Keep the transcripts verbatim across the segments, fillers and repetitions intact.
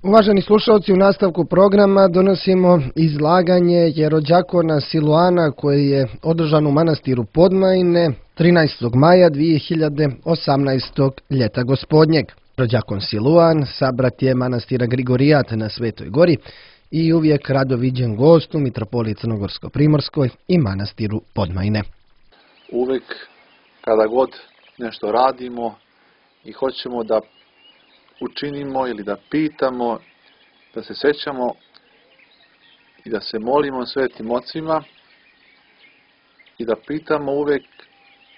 Uvaženi slušalci, u nastavku programa donosimo izlaganje jerođakona Siluana koji je održan u manastiru Podmajine trinaestog maja dvije hiljade osamnaestog ljeta gospodnjeg. Jerođakon Siluan sabrat je manastira Grigorijat na Svetoj Gori i uvijek rado viđen gost u mitropoliji Crnogorsko-Primorskoj i manastiru Podmajine. Uvijek kada god nešto radimo i hoćemo da učinimo ili da pitamo, da se sećamo i da se molimo svetim ocima i da pitamo uvijek,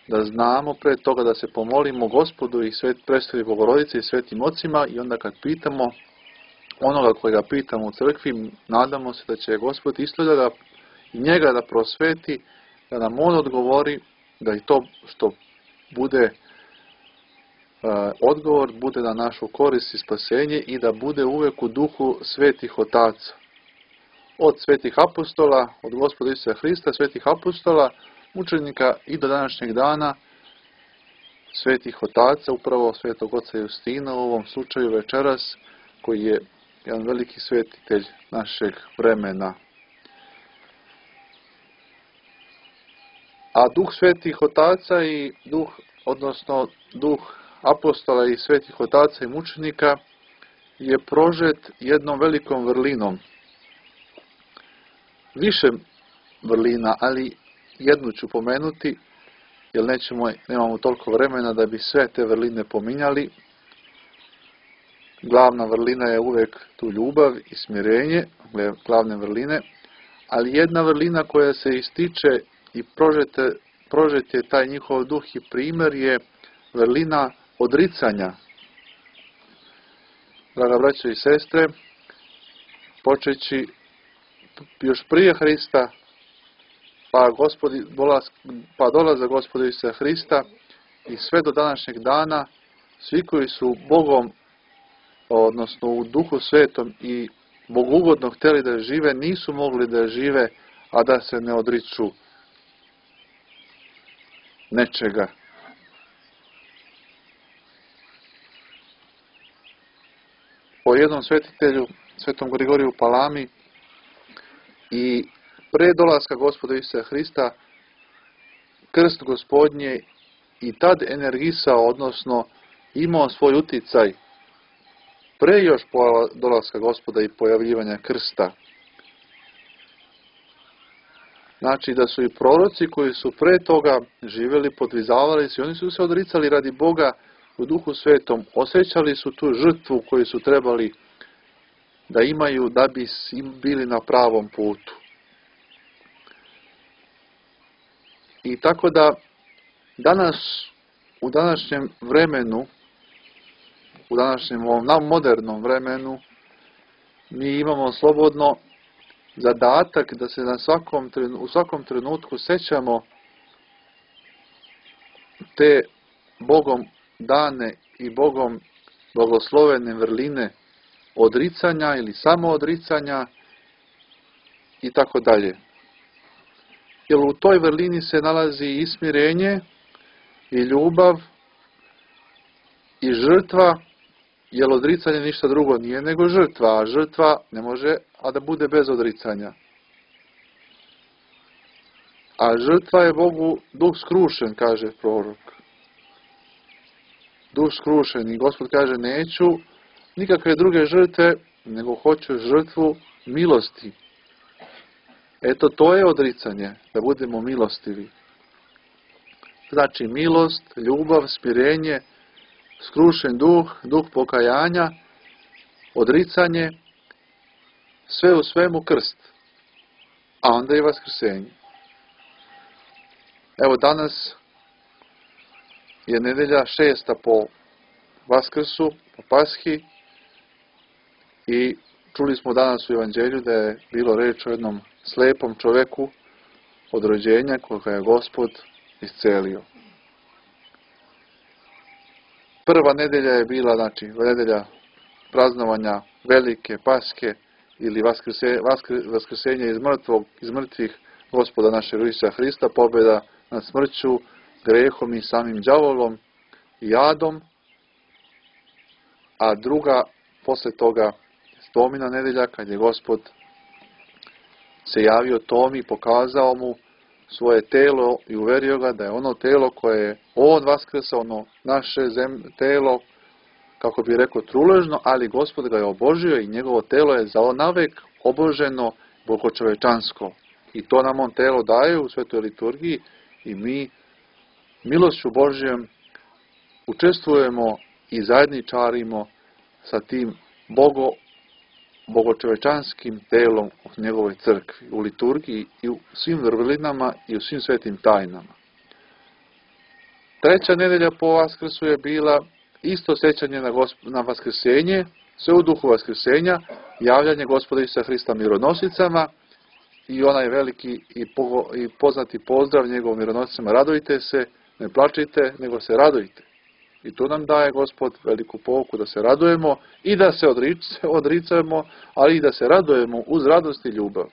da znamo pre toga da se pomolimo Gospodu i svet predstavi Bogorodice i svetim ocima, i onda kad pitamo onoga kojega pitamo u crkvi, nadamo se da će Gospod isto da i njega da prosveti, da nam on odgovori, da i to što bude odgovor bude na našu korist i spasenje i da bude uvijek u duhu svetih otaca. Od svetih apostola, od Gospoda Isusa Hrista, svetih apostola, mučenika i do današnjeg dana svetih otaca, upravo svetog oca Justina u ovom slučaju večeras, koji je jedan veliki svetitelj našeg vremena. A duh svetih otaca i duh, odnosno duh apostola i svetih otaca i mučenika je prožet jednom velikom vrlinom. Više vrlina, ali jednu ću pomenuti, jer nećemo, nemamo toliko vremena da bi sve te vrline pominjali. Glavna vrlina je uvijek tu ljubav i smirenje, glavne vrline, ali jedna vrlina koja se ističe i prožete, prožet je taj njihov duh i primjer je vrlina odricanja. Draga braćo i sestre, počeći još prije Hrista, pa, gospodi, pa dolaza Gospoda Isusa Hrista i sve do današnjeg dana, svi koji su Bogom, odnosno u Duhu Svetom i bogugodno htjeli da žive, nisu mogli da žive, a da se ne odriču nečega. Po jednom svetitelju, svetom Grigoriju Palami, i pre dolaska Gospoda Isusa Hrista, krst gospodnje i tad energisao, odnosno imao svoj uticaj pre još dolaska Gospoda i pojavljivanja krsta. Znači da su i proroci koji su pre toga živjeli, podvizavali se, oni su se odricali radi Boga u Duhu Svetom, osjećali su tu žrtvu koju su trebali da imaju da bi bili na pravom putu. I tako da danas, u današnjem vremenu, u današnjem ovom modernom vremenu, mi imamo slobodno zadatak da se na svakom, u svakom trenutku sećamo te Bogom dane i Bogom blagoslovene vrline odricanja ili samoodricanja i tako dalje. Jer u toj vrlini se nalazi i smirenje, i ljubav, i žrtva, jer odricanje ništa drugo nije nego žrtva, a žrtva ne može a da bude bez odricanja. A žrtva je Bogu duh skrušen, kaže prorok. Duh skrušen, i Gospod kaže, neću nikakve druge žrtve, nego hoću žrtvu milosti. Eto, to je odricanje, da budemo milostivi. Znači, milost, ljubav, smirenje, skrušen duh, duh pokajanja, odricanje, sve u svemu krst, a onda i vaskrsenje. Evo, danas je nedelja šesta po Vaskrsu, po Pashi, i čuli smo danas u Evanđelju da je bilo reč o jednom slepom čoveku od rođenja koga je Gospod iscelio. Prva nedelja je bila, znači, nedelja praznovanja velike Paske ili vaskrse, vaskr, vaskrsenja iz, mrtvog, iz mrtvih Gospoda našeg Isusa Hrista, pobjeda nad smrću, grehom i samim đavolom i adom, a druga posle toga Tomina nedelja, kad je Gospod se javio Tomi, pokazao mu svoje telo i uverio ga da je ono telo koje je on vaskrsao, ono naše zem, telo, kako bi rekao, truležno, ali Gospod ga je obožio i njegovo telo je zaonavek oboženo, bogočovečansko. I to nam on telo daje u svetoj liturgiji i mi milošću Božjom učestvujemo i zajedničarimo sa tim bogo, bogočovečanskim telom u njegovoj crkvi, u liturgiji i u svim vrlinama i u svim svetim tajnama. Treća nedelja po Vaskrsu je bila isto sećanje na, gosp na Vaskrsenje, sve u duhu Vaskrsenja, javljanje Gospoda Isusa Hrista mironosicama i onaj veliki i, po i poznati pozdrav njegovom mironosicama: radujte se, ne plačite, nego se radujte. I tu nam daje Gospod veliku pouku da se radujemo i da se odricamo, ali i da se radujemo uz radost i ljubav.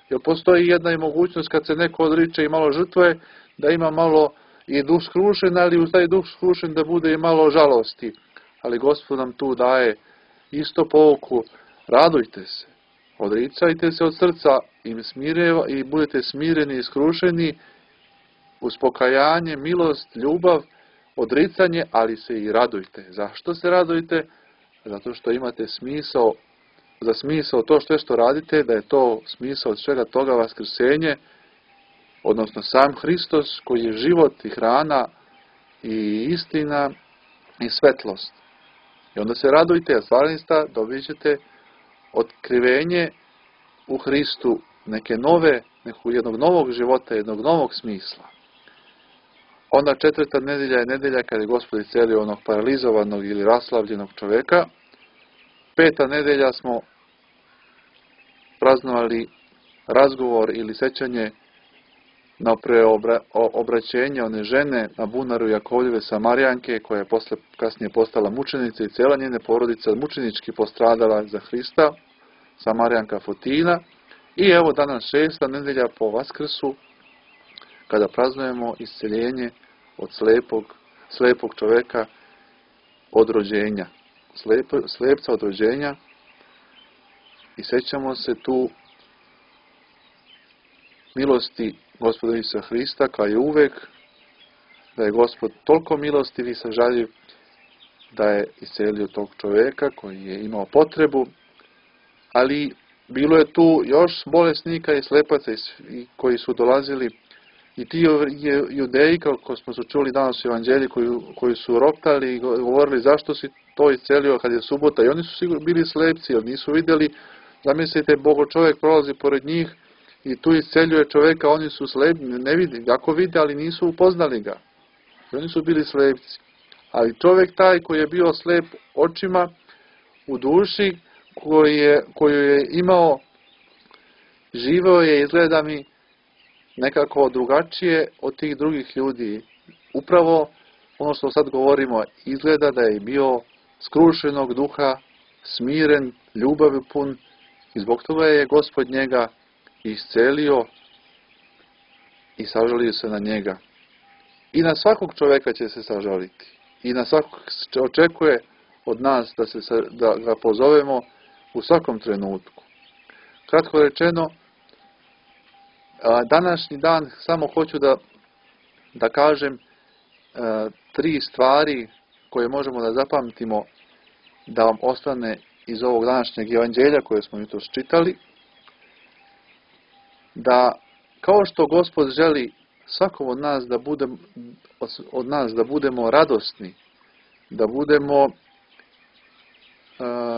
Jer postoji jedna i mogućnost kad se neko odriče i malo žrtvuje, da ima malo i duh skrušen, ali uz taj duh skrušen da bude i malo žalosti. Ali Gospod nam tu daje isto pouku: radujte se, odricajte se od srca i, smireva, i budete smireni i skrušeni uz pokajanje, milost, ljubav, odricanje, ali se i radujte. Zašto se radujte? Zato što imate smisao, za smisao to što što radite, da je to smisao od svega toga vaskrsenje, odnosno sam Hristos koji je život i hrana i istina i svetlost. I onda se radujte, a stvarista dobit ćete otkrivenje u Hristu neke nove, nekog jednog novog života, jednog novog smisla. Onda četvrta nedelja je nedelja kada je Gospod iscelio onog paralizovanog ili raslavljenog čoveka. Peta nedelja smo praznovali razgovor ili sećanje na preobraćenje one žene na bunaru Jakovljeve Samarijanke, koja je posle, kasnije postala mučenica i cijela njene porodica mučenički postradala za Hrista, Samarijanka Fotina. I evo danas šesta nedelja po Vaskrsu, kada praznujemo isceljenje od slepog, slepog čoveka od rođenja, Slep, slepca od rođenja, i sećamo se tu milosti Gospoda Isusa Hrista, kao je uvek, da je Gospod toliko milostiv i sažaljiv da je iscelio tog čoveka koji je imao potrebu, ali bilo je tu još bolesnika i slepaca koji su dolazili, i ti judeji, kako smo se čuli danas u evanđelji, koji, koji su roptali i govorili: zašto si to iscelio kad je subota? I oni su sigurno bili slepci, jer nisu vidjeli. Zamislite, Bogo čovjek prolazi pored njih i tu isceljuje čovjeka, oni su slepi, ne vidi, jako vide, ali nisu upoznali ga. I oni su bili slepci. Ali čovjek taj koji je bio slep očima, u duši, koji je, koju je imao, živeo je, izgleda mi, nekako drugačije od tih drugih ljudi. Upravo ono što sad govorimo, izgleda da je bio skrušenog duha, smiren, ljubavi pun, i zbog toga je Gospod njega iscelio i sažalio se na njega. I na svakog čovjeka će se sažaliti. I na svakog očekuje od nas da, se, da ga pozovemo u svakom trenutku. Kratko rečeno, današnji dan samo hoću da, da kažem tri stvari koje možemo da zapamtimo, da vam ostane iz ovog današnjeg evanđelja koje smo jutros čitali. Da kao što Gospod želi svakom od nas da budemo, od nas da budemo radosni, da budemo,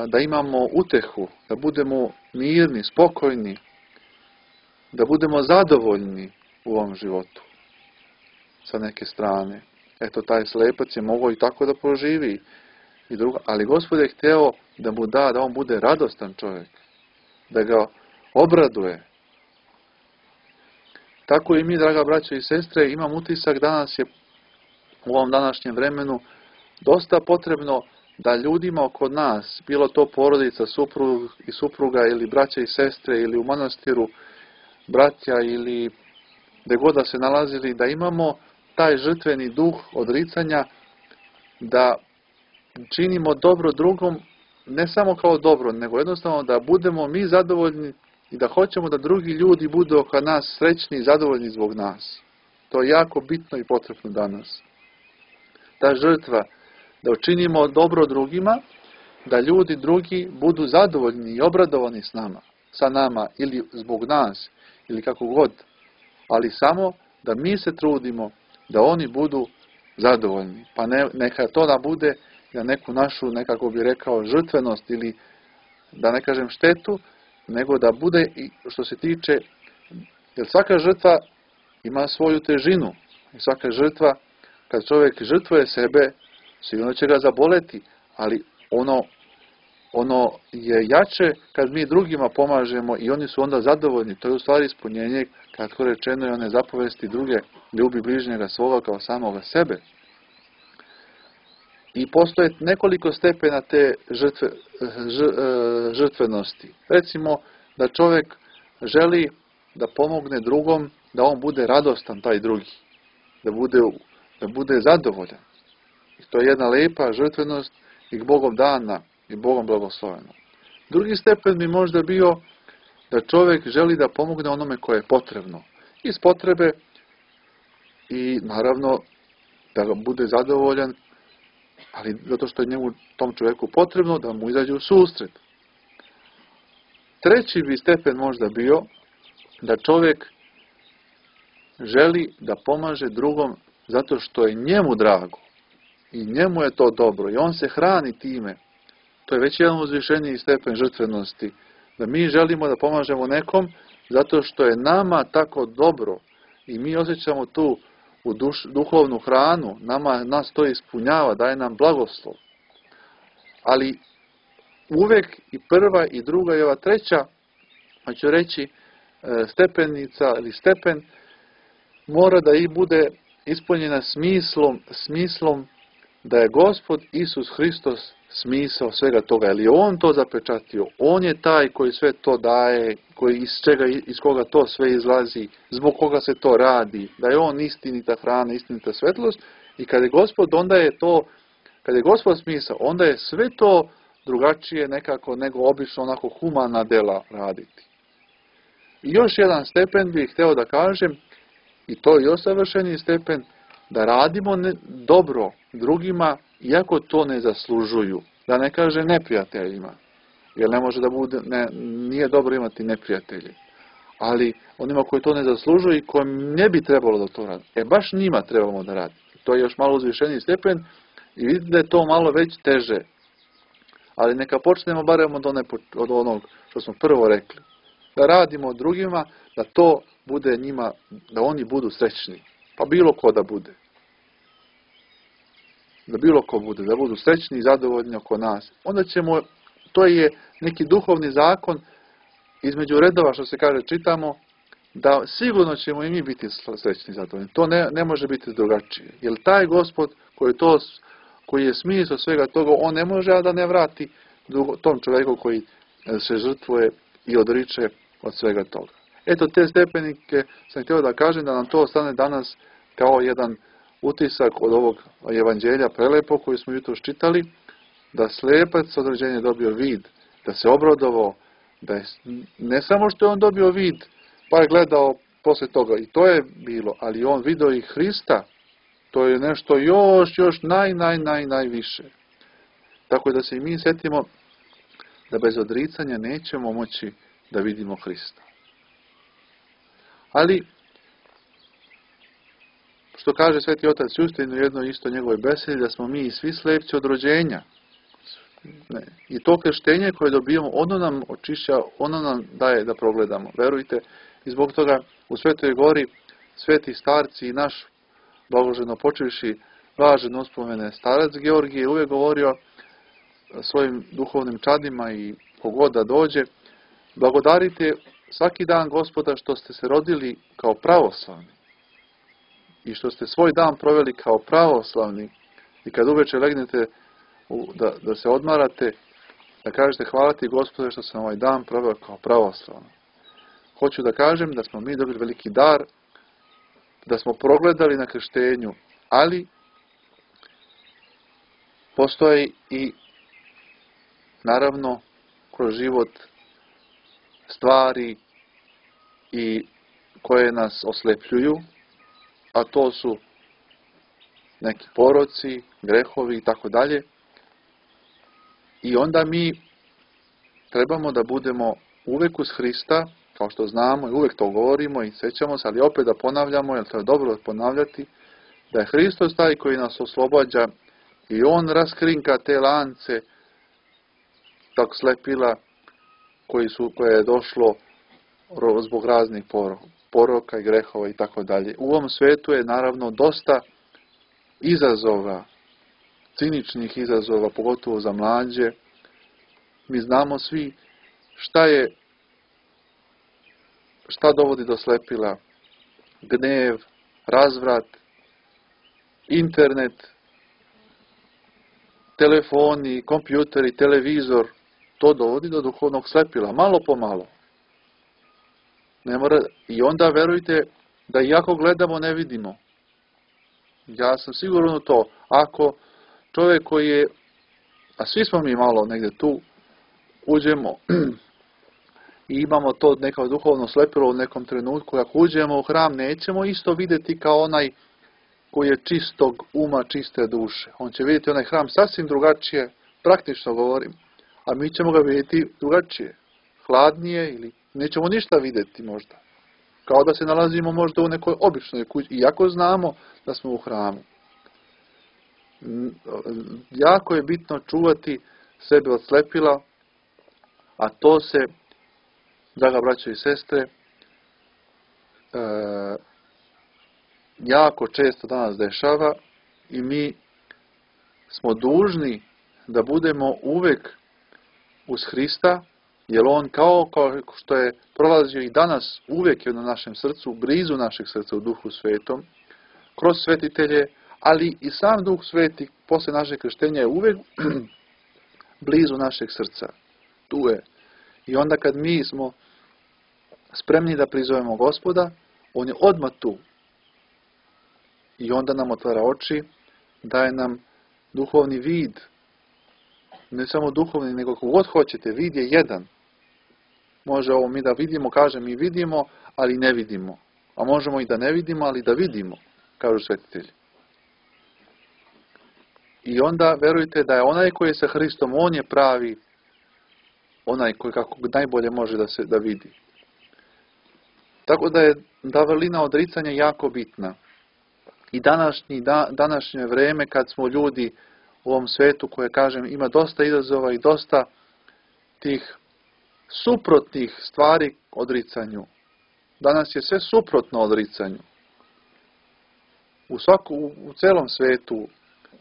da imamo utehu, da budemo mirni, spokojni, da budemo zadovoljni u ovom životu sa neke strane. Eto, taj slepac je mogao i tako da proživi. I drugo, ali Gospod je hteo da mu da, da on bude radostan čovjek, da ga obraduje. Tako i mi, draga braćo i sestre, imam utisak danas je u ovom današnjem vremenu dosta potrebno da ljudima oko nas, bilo to porodica, suprug i supruga ili braća i sestre ili u manastiru braća ili gde god da se nalazili, da imamo taj žrtveni duh odricanja, da činimo dobro drugom ne samo kao dobro, nego jednostavno da budemo mi zadovoljni i da hoćemo da drugi ljudi budu oko nas srećni i zadovoljni zbog nas. To je jako bitno i potrebno danas. Ta žrtva, da učinimo dobro drugima, da ljudi drugi budu zadovoljni i obradovani s nama, sa nama ili zbog nas, ili kako god, ali samo da mi se trudimo da oni budu zadovoljni. Pa ne, neka to da bude na neku našu, nekako bi rekao, žrtvenost ili da ne kažem štetu, nego da bude i što se tiče, jer svaka žrtva ima svoju težinu. I svaka žrtva, kad čovjek žrtvuje sebe, sigurno će ga zaboleti, ali ono, ono je jače kad mi drugima pomažemo i oni su onda zadovoljni. To je u stvari ispunjenje, kratko rečeno, i one zapovesti druge, ljubi bližnjega svoga kao samoga sebe. I postoje nekoliko stepena te žrtve, žrtvenosti. Recimo da čovjek želi da pomogne drugom, da on bude radostan, taj drugi, da bude, da bude zadovoljan. I to je jedna lepa žrtvenost i Bogom dana i Bogom blagoslovena. Drugi stepen bi možda bio da čovjek želi da pomogne onome koje je potrebno. Iz potrebe i naravno da ga bude zadovoljan, ali zato što je njemu, tom čovjeku potrebno da mu izađe u susret. Treći bi stepen možda bio da čovjek želi da pomaže drugom zato što je njemu drago i njemu je to dobro i on se hrani time. To je već jedan uzvišeniji stepen žrtvenosti. Da mi želimo da pomažemo nekom zato što je nama tako dobro i mi osjećamo tu u duš, duhovnu hranu, nama, nas to ispunjava, daje nam blagoslov. Ali uvek i prva i druga i ova treća, hoću reći, stepenica ili stepen, mora da i bude ispunjena smislom, smislom da je Gospod Isus Hristos smisao svega toga. Jer je On to zapečatio. On je taj koji sve to daje, koji iz, čega, iz koga to sve izlazi, zbog koga se to radi. Da je On istinita hrana, istinita svetlost. I kada je Gospod, onda je to, kada je Gospod smisao, onda je sve to drugačije nekako nego obično onako humana dela raditi. I još jedan stepen bih hteo da kažem, i to je još savršeniji stepen, da radimo ne, dobro drugima, iako to ne zaslužuju. Da ne kaže neprijateljima. Jer ne može da bude, ne, nije dobro imati neprijatelje. Ali onima koji to ne zaslužuju i kojim ne bi trebalo da to radi. E baš njima trebamo da radi. To je još malo uzvišeniji stepen i vidite da je to malo već teže. Ali neka počnemo barem od, one, od onog što smo prvo rekli. Da radimo drugima, da to bude njima, da oni budu srećni. Pa bilo ko da bude. Da bilo ko bude, da budu srećni i zadovoljni oko nas. Onda ćemo, to je neki duhovni zakon, između redova što se kaže čitamo, da sigurno ćemo i mi biti srećni i zadovoljni. To ne, ne može biti drugačije. Jer taj Gospod koji, to, koji je smisao svega toga, on ne može da ne vrati tom čovjeku koji se žrtvuje i odriče od svega toga. Eto, te stepenike sam htio da kažem, da nam to ostane danas kao jedan utisak od ovog evanđelja prelepo koji smo jutros čitali, da slepac od rođenja dobio vid, da se obradovao, da je, ne samo što je on dobio vid, pa je gledao posle toga, i to je bilo, ali on video i Hrista, to je nešto još, još naj, naj, naj, najviše. Tako da se i mi setimo da bez odricanja nećemo moći da vidimo Hrista. Ali, što kaže Sveti Otac Justin u jednoj isto njegovoj besedi, da smo mi svi slepci od rođenja. Ne. I to krštenje koje dobijemo, ono nam očišća, ono nam daje da progledamo. Verujte, i zbog toga u Svetoj Gori sveti starci i naš blagoženo počivši blažen uspomene starac Georgije je uvijek govorio svojim duhovnim čadima i kogod da dođe, blagodarite svaki dan Gospoda što ste se rodili kao pravoslavni i što ste svoj dan proveli kao pravoslavni i kad uveče legnete u, da, da se odmarate, da kažete hvala ti Gospode što sam ovaj dan proveo kao pravoslavni. Hoću da kažem da smo mi dobili veliki dar, da smo progledali na krštenju, ali postoji i naravno kroz život stvari i koje nas oslepljuju, a to su neki poroci, grehovi i tako dalje. I onda mi trebamo da budemo uvek uz Hrista, kao što znamo i uvek to govorimo i sećamo se, ali opet da ponavljamo, jer to je dobro ponavljati, da je Hristos taj koji nas oslobađa i On raskrinka te lance tog slepila koji su, koje je došlo zbog raznih poroka i grehova i tako dalje. U ovom svetu je naravno dosta izazova, ciničnih izazova, pogotovo za mlađe. Mi znamo svi šta je, šta dovodi do slepila, gnev, razvrat, internet, telefoni, kompjuteri, televizor, to dovodi do duhovnog slepila, malo po malo. Ne mora, i onda verujte da iako gledamo ne vidimo. Ja sam siguran u to, ako čovjek koji je, a svi smo mi malo negdje tu, uđemo i imamo to neko duhovno slepilo u nekom trenutku, ako uđemo u hram, nećemo isto vidjeti kao onaj koji je čistog uma, čiste duše. On će vidjeti onaj hram sasvim drugačije, praktično govorim, a mi ćemo ga vidjeti drugačije, hladnije ili nećemo ništa vidjeti možda. Kao da se nalazimo možda u nekoj običnoj kući, iako znamo da smo u hramu. Jako je bitno čuvati sebe od slepila, a to se, draga braćo i sestre, e, jako često danas dešava i mi smo dužni da budemo uvek uz Hrista, jer On kao, kao što je prolazio i danas, uvijek je na našem srcu, blizu našeg srca u Duhu Svetom, kroz svetitelje, ali i sam Duh Sveti posle našeg krštenja je uvijek blizu našeg srca. Tu je. I onda kad mi smo spremni da prizovemo Gospoda, On je odmah tu. I onda nam otvara oči, daje nam duhovni vid. Ne samo duhovni, nego kako god hoćete, vid je jedan. Može ovo mi da vidimo, kaže mi vidimo, ali ne vidimo. A možemo i da ne vidimo, ali da vidimo, kažu svetitelji. I onda verujte da je onaj koji je sa Hristom, on je pravi, onaj koji kako najbolje može da se da vidi. Tako da je da vrlina odricanja jako bitna. I današnji, da, današnje vreme kad smo ljudi u ovom svetu koje, kažem, ima dosta izazova i dosta tih suprotnih stvari odricanju. Danas je sve suprotno odricanju. U, svaku, u, u celom svetu,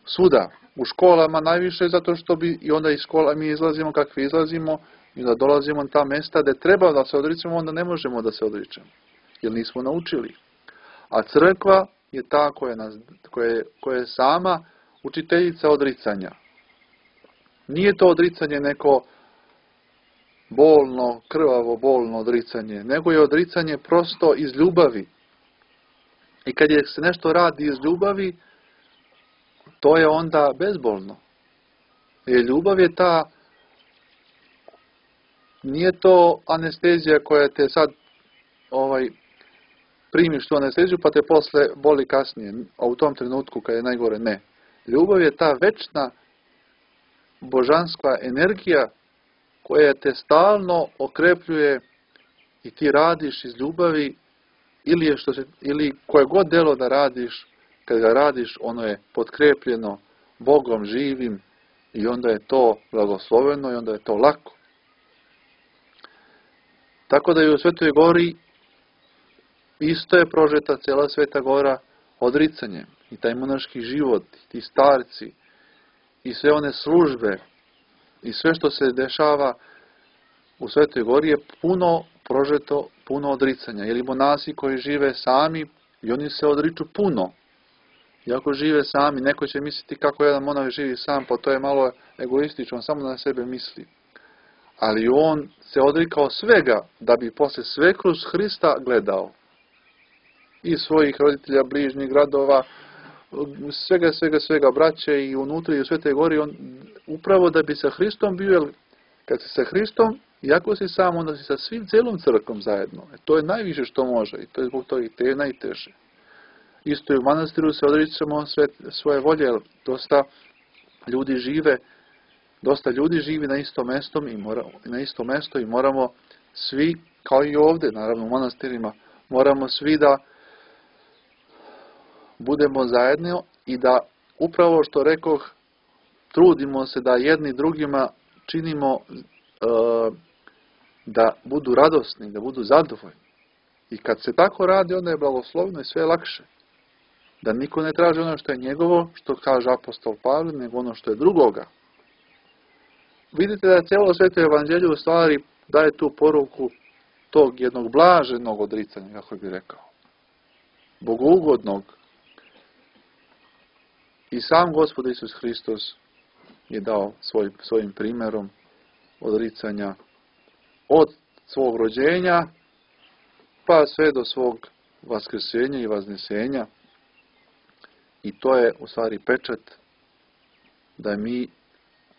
svuda, u školama najviše, zato što bi i onda iz škola mi izlazimo kakvi izlazimo i da dolazimo na ta mesta gdje treba da se odričemo, onda ne možemo da se odričemo, jer nismo naučili. A crkva je ta koja, nas, koja, je, koja je sama učiteljica odricanja. Nije to odricanje neko bolno, krvavo, bolno odricanje, nego je odricanje prosto iz ljubavi. I kad je se nešto radi iz ljubavi, to je onda bezbolno. Jer ljubav je ta, nije to anestezija koja te sad ovaj, primiš tu anesteziju pa te posle boli kasnije, a u tom trenutku kad je najgore, ne. Ljubav je ta večna božanska energija koja te stalno okrepljuje i ti radiš iz ljubavi ili, je što se, ili koje god delo da radiš, kad ga radiš, ono je potkrepljeno Bogom živim i onda je to blagosloveno i onda je to lako. Tako da i u Svetoj Gori isto je prožeta cijela Sveta Gora odricanjem. I taj monaški život, i ti starci, i sve one službe, i sve što se dešava u Svetoj Gori je puno prožeto, puno odricanja. Jer i monasi koji žive sami, i oni se odriču puno. Iako žive sami, neko će misliti kako jedan monah živi sam, pa to je malo egoistično, on samo na sebe misli. Ali on se odrikao svega, da bi posle sve kroz Hrista gledao. I svojih roditelja, bližnjih gradova, svega, svega, svega, braće i unutra i u Svetoj Gori, on upravo da bi sa Hristom bio, Kad si sa Hristom, iako si sam, onda si sa svim cijelom crkvom zajedno. E, to je najviše što može i to je zbog toga i te je najteže. Isto i u manastiru se odričemo sve, svoje volje, jer dosta ljudi žive, dosta ljudi živi na isto mesto i mora, na isto mesto i moramo svi, kao i ovdje, naravno u manastirima, moramo svi da budemo zajedno i da upravo što rekoh, trudimo se da jedni drugima činimo uh, da budu radosni, da budu zadovoljni. I kad se tako radi, onda je blagoslovno i sve je lakše. Da niko ne traži ono što je njegovo, što kaže apostol Pavle, nego ono što je drugoga. Vidite da cijelo sveto evanđelje u stvari daje tu poruku tog jednog blaženog odricanja, kako bi rekao. Bogougodnog. I sam Gospod Isus Hristos je dao svoj, svojim primjerom odricanja od svog rođenja pa sve do svog vaskrsenja i vaznesenja. I to je u stvari pečat da mi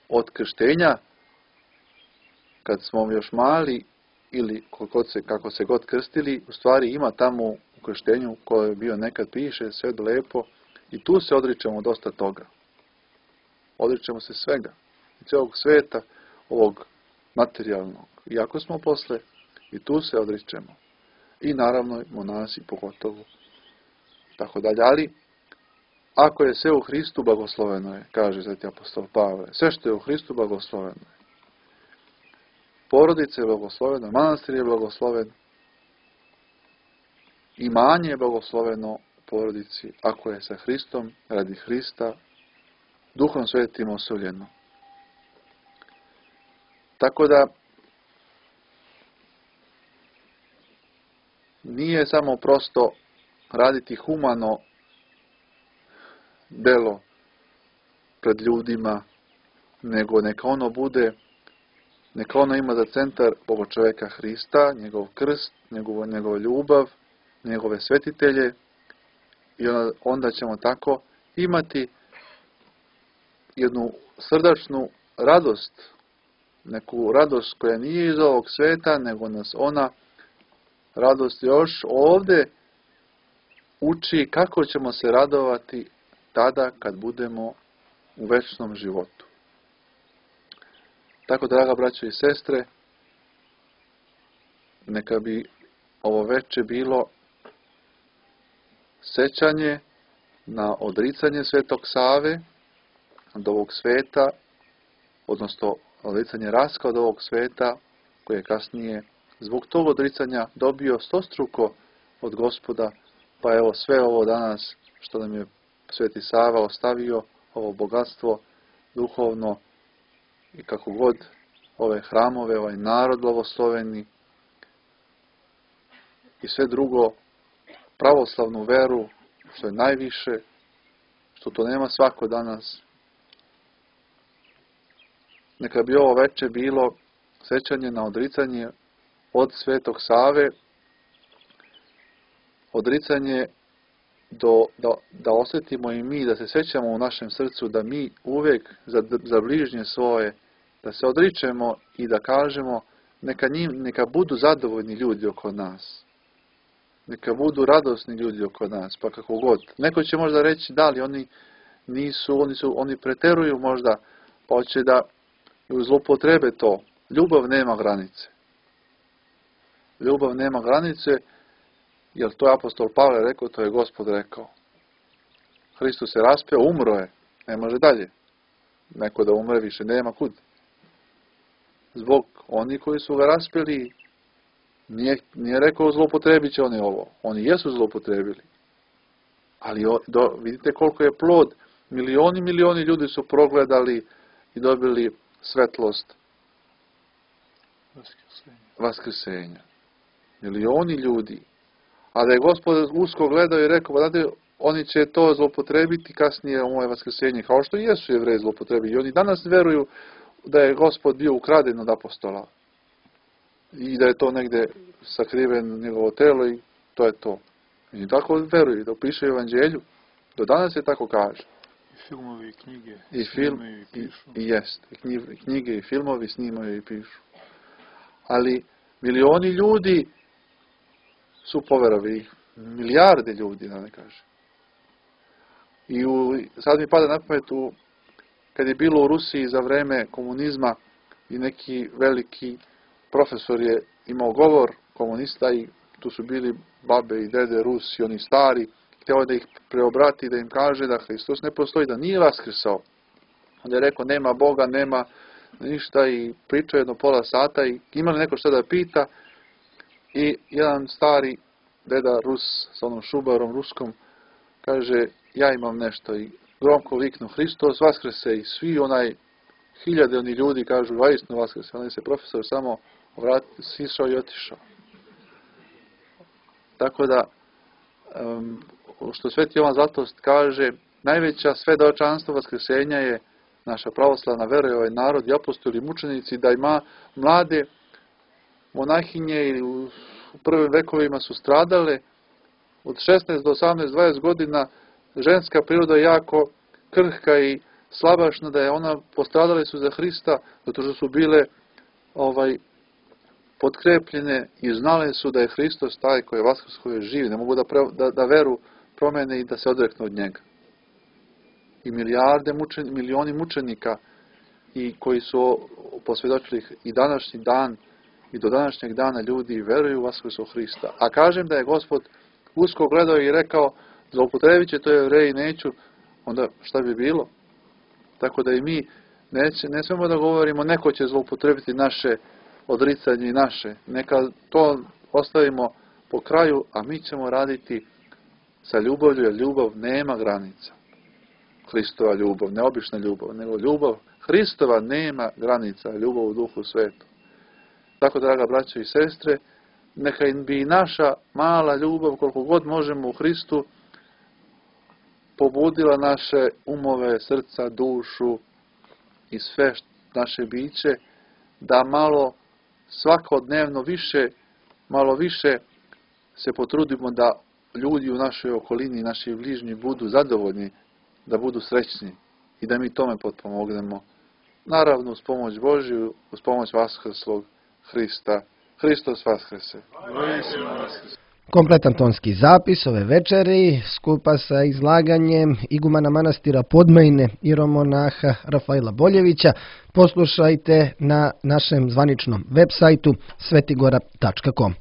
od krštenja, kad smo još mali ili kod se, kako se god krstili, u stvari ima tamo u krštenju koje je bio nekad piše, sve lepo, i tu se odričemo dosta toga. Odričemo se svega, cijelog sveta, ovog materijalnog. Iako smo posle, i tu se odričemo. I naravno monasi pogotovo. Tako dalje, ali ako je sve u Hristu, blagosloveno je, kaže sveti apostol Pavle. Sve što je u Hristu, blagosloveno je. Porodica je blagoslovena, manastir je blagosloven, imanje je blagosloveno u porodici, ako je sa Hristom, radi Hrista, Duhom Svetim osuljeno. Tako da, nije samo prosto raditi humano delo pred ljudima, nego neka ono bude, neka ono ima za centar Boga čovjeka Hrista, njegov krst, njegov, njegov ljubav, njegove svetitelje, i onda, onda ćemo tako imati jednu srdačnu radost, neku radost koja nije iz ovog sveta, nego nas ona radost još ovdje uči kako ćemo se radovati tada kad budemo u večnom životu. Tako, draga braćo i sestre, neka bi ovo veče bilo sećanje na odricanje Svetog Save od ovog sveta, odnosno odricanje Raska od ovog sveta, koje je kasnije zbog tog odricanja dobio stostruko od Gospoda, pa evo sve ovo danas što nam je Sveti Sava ostavio, ovo bogatstvo duhovno i kako god ove hramove, ovaj narod blagosloveni i sve drugo, pravoslavnu veru, što je najviše, što to nema svako danas. Neka bi ovo veče bilo sećanje na odricanje od Svetog Save, odricanje do, da, da osjetimo i mi, da se sećamo u našem srcu, da mi uvijek za, za bližnje svoje, da se odričemo i da kažemo neka, njim, neka budu zadovoljni ljudi oko nas. Neka budu radosni ljudi oko nas, pa kako god. Neko će možda reći da li oni nisu, oni su, oni preteruju možda, pa hoće da zloupotrebe to. Ljubav nema granice. Ljubav nema granice, jer to je apostol Pavle rekao, to je Gospod rekao. Hristos se raspeo, umro je, ne može dalje. Neko da umre više nema kud. Zbog oni koji su ga raspeli, nije, nije rekao zloupotrebit će oni ovo. Oni jesu zloupotrebili. Ali do, vidite koliko je plod. Milioni, milioni ljudi su progledali i dobili svetlost vaskrsenja. vaskrsenja. Milioni ljudi. A da je Gospod usko gledao i rekao, znate, oni će to zloupotrebiti kasnije u moje vaskrsenje, kao što i jesu Jevreji zloupotrebili. I oni danas veruju da je Gospod bio ukraden od apostola. I da je to negdje sakriven njegovo telo i to je to. I tako veruju, da piše u evanđelju. Do danas se tako kaže. I filmovi i knjige I film, snimaju i i, pišu. i jest. I knji- knjige i filmovi snimaju i pišu. Ali milioni ljudi su poverovi, milijarde ljudi, da ne kažem. I u, sad mi pada na pamet, u, kad je bilo u Rusiji za vreme komunizma i neki veliki profesor je imao govor komunista i tu su bili babe i dede Rusi, oni stari, htio da ih preobrati, da im kaže da Hristos ne postoji, da nije vaskrsao. Onda je rekao, nema Boga, nema ništa i pričao jedno pola sata i imali neko šta da pita i jedan stari deda Rus sa onom šubarom ruskom kaže, ja imam nešto i gromko viknu, Hristos vaskrse i svi onaj hiljade oni ljudi kažu, vaistinu vaskrse. Onda se profesor samo vratio, sišao i otišao. Tako da, um, što Sveti Jovan Zlatost kaže, najveća svedočanstvo vaskrsenja je naša pravoslavna vera i ovaj narod i apostoli mučenici, da ima mlade monahinje ili u prvim vekovima su stradale od šesnaest do osamnaest dvadeset godina. Ženska priroda je jako krhka i slabašna, da je ona postradale su za Hrista zato što su bile ovaj potkrepljene i znale su da je Hristos taj koji je vaskrs, koji je živ, ne mogu da, pre, da, da veru promene i da se odreknu od njega. I milijarde mučen, milioni mučenika i koji su posvjedočili i današnji dan i do današnjeg dana ljudi veruju u vaskrsu Hrista. A kažem da je Gospod usko gledao i rekao, zloupotrebit će to Jevreji, neću, onda šta bi bilo? Tako da i mi neće, ne smemo da govorimo, neko će zloupotrebiti naše odricanje i naše. Neka to ostavimo po kraju, a mi ćemo raditi sa ljubavlju, jer ljubav nema granica. Hristova ljubav, ne obična ljubav, nego ljubav Hristova nema granica, ljubav u Duhu Svetu. Tako, draga braćo i sestre, neka bi i naša mala ljubav, koliko god možemo u Hristu, pobudila naše umove, srca, dušu i sve naše biće, da malo svakodnevno više, malo više se potrudimo da ljudi u našoj okolini, naši bližnji budu zadovoljni, da budu srećni i da mi tome potpomognemo. Naravno, uz pomoć Božju, uz pomoć vaskrslog Hrista. Hristos vaskrse. Kompletan tonski zapis ove večeri skupa sa izlaganjem igumana manastira Podmajine iromonaha Rafaila Boljevića poslušajte na našem zvaničnom web sajtu svetigora tačka com.